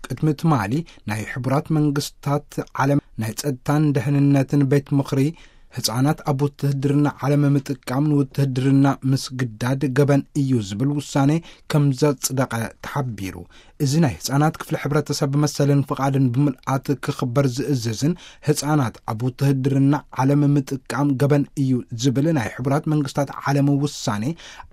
ቅድሚ ትማሊ ናይ ሕቡራት መንግስታት ዓለም ናይ ጸጥታን ደህንነትን ቤት ምኽሪ ህጻናት ኣብ ውትህድርና ዓለም ምጥቃም ንውትህድርና ምስግዳድ ገበን እዩ ዝብል ውሳኔ ከም ዘጽደቐ ተሓቢሩ። እዚ ናይ ህጻናት ክፍሊ ሕብረተሰብ ብመሰልን ፍቓድን ብምልኣት ክኽበር ዝእዝዝን ህጻናት ኣብ ውትህድርና ዓለም ምጥቃም ገበን እዩ ዝብል ናይ ሕቡራት መንግስታት ዓለም ውሳኔ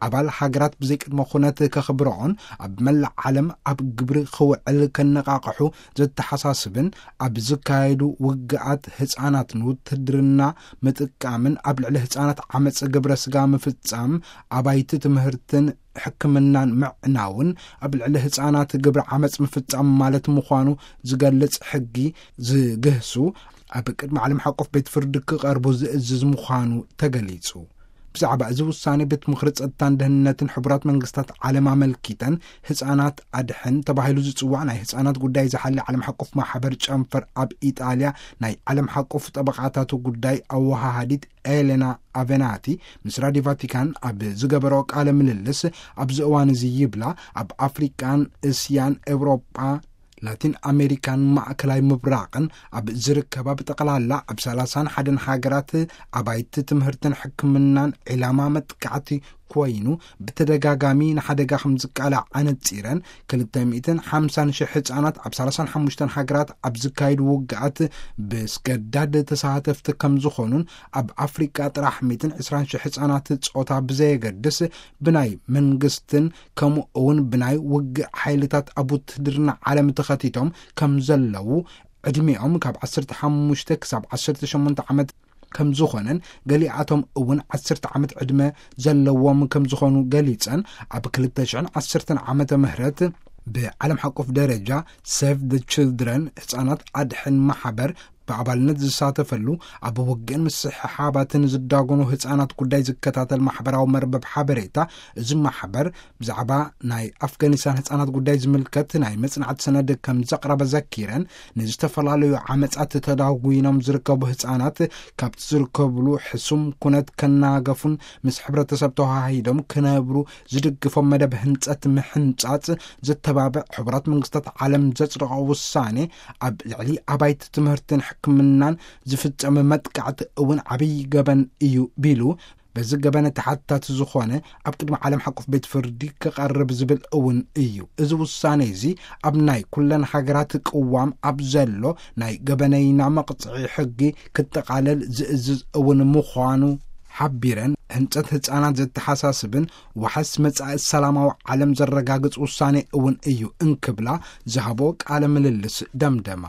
ኣባል ሃገራት ብዘይቅድመ ኩነት ከኽብረኦን ኣብ መላእ ዓለም ኣብ ግብሪ ክውዕል ከነቓቕሑ ዘተሓሳስብን ኣብ ዝካየዱ ውግኣት ህጻናት ንውትህድርና ምጥቃምን ኣብ ልዕሊ ህጻናት ዓመጽ ግብረ ስጋ ምፍጻም ኣባይቲ ትምህርትን ሕክምናን ምዕናውን ኣብ ልዕሊ ህጻናት ግብረ ዓመጽ ምፍጻም ማለት ምዃኑ ዝገልጽ ሕጊ ዝግህሱ ኣብ ቅድሚ ዓለም ሓቆፍ ቤት ፍርዲ ክቐርቡ ዝእዝዝ ምዃኑ ተገሊጹ። ብዛዕባ እዚ ውሳኔ ቤት ምኽሪ ጸጥታን ደህንነትን ሕቡራት መንግስታት ዓለም ኣመልኪተን ህጻናት ኣድሕን ተባሂሉ ዝጽዋዕ ናይ ህጻናት ጉዳይ ዝሓሊ ዓለም ሓቆፍ ማሕበር ጨንፈር ኣብ ኢጣልያ ናይ ዓለም ሓቆፍ ጠበቓታቱ ጉዳይ ኣወሃሃዲት ኤሌና ኣቬናቲ ምስ ራዲዮ ቫቲካን ኣብ ዝገበሮ ቃለ ምልልስ ኣብዚ እዋን እዚ ይብላ ኣብ ኣፍሪቃን እስያን ኤውሮጳ ላቲን ኣሜሪካን ማእከላይ ምብራቕን ኣብ ዝርከባ ብጠቕላላ ኣብ ሰላሳን ሓደን ሃገራት ኣባይቲ ትምህርትን ሕክምናን ዒላማ መጥቃዕቲ ኮይኑ ብተደጋጋሚ ንሓደጋ ከም ዝቃላዕ ኣነጺረን ክልተ ሚእትን ሓምሳን ሽሕ ህጻናት ኣብ ሰላሳን ሓሙሽተን ሃገራት ኣብ ዝካየዱ ውግኣት ብስገዳድ ተሳተፍቲ ከም ዝኾኑን ኣብ ኣፍሪቃ ጥራሕ ሚእትን ዕስራን ሽሕ ህጻናት ጾታ ብዘየገድስ ብናይ መንግስትን ከምኡ እውን ብናይ ውግእ ሓይልታት ኣብ ውትህድርና ዓለም ተኸቲቶም ከም ዘለዉ ዕድሚኦም ካብ ዓሰርተ ሓሙሽተ ክሳብ ዓሰርተ ሸሞንተ ዓመት ከም ዝኾነን ገሊኣቶም እውን ዓሰርተ ዓመት ዕድመ ዘለዎም ከም ዝኾኑ ገሊጸን ኣብ ክልተ ሽሕን ዓሰርተን ዓመተ ምህረት ብዓለም ሓቆፍ ደረጃ ሴቭ ደ ችልድረን ህጻናት ኣድሕን ማሕበር ብኣባልነት ዝሳተፈሉ ኣብ ውግእን ምስሕሓባትን ዝዳጎኑ ህጻናት ጉዳይ ዝከታተል ማሕበራዊ መርበብ ሓበሬታ እዚ ማሕበር ብዛዕባ ናይ ኣፍጋኒስታን ህጻናት ጉዳይ ዝምልከት ናይ መጽናዕቲ ሰነድ ከም ዘቕረበ ዘኪረን ንዝተፈላለዩ ዓመጻት ተዳጒኖም ዝርከቡ ህጻናት ካብቲ ዝርከብሉ ሕሱም ኩነት ከናገፉን ምስ ሕብረተሰብ ተዋሃሂዶም ክነብሩ ዝድግፎም መደብ ህንጸት ምሕንጻጽ ዘተባብዕ ሕቡራት መንግስታት ዓለም ዘጽደቖ ውሳኔ ኣብ ልዕሊ ኣባይቲ ትምህርትን ሕክምናን ዝፍጸም መጥቃዕቲ እውን ዓብዪ ገበን እዩ ቢሉ በዚ ገበነ ተሓታቲ ዝኾነ ኣብ ቅድሚ ዓለም ሓቆፍ ቤት ፍርዲ ክቐርብ ዝብል እውን እዩ። እዚ ውሳኔ እዚ ኣብ ናይ ኩለን ሃገራት ቅዋም ኣብ ዘሎ ናይ ገበነይና መቕጽዒ ሕጊ ክጠቓለል ዝእዝዝ እውን ምዃኑ ሓቢረን ህንጸት ህጻናት ዘተሓሳስብን ዋሕስ መጻኢ ሰላማዊ ዓለም ዘረጋግጽ ውሳኔ እውን እዩ እንክብላ ዝሃቦ ቃለ ምልልስ ደምደማ።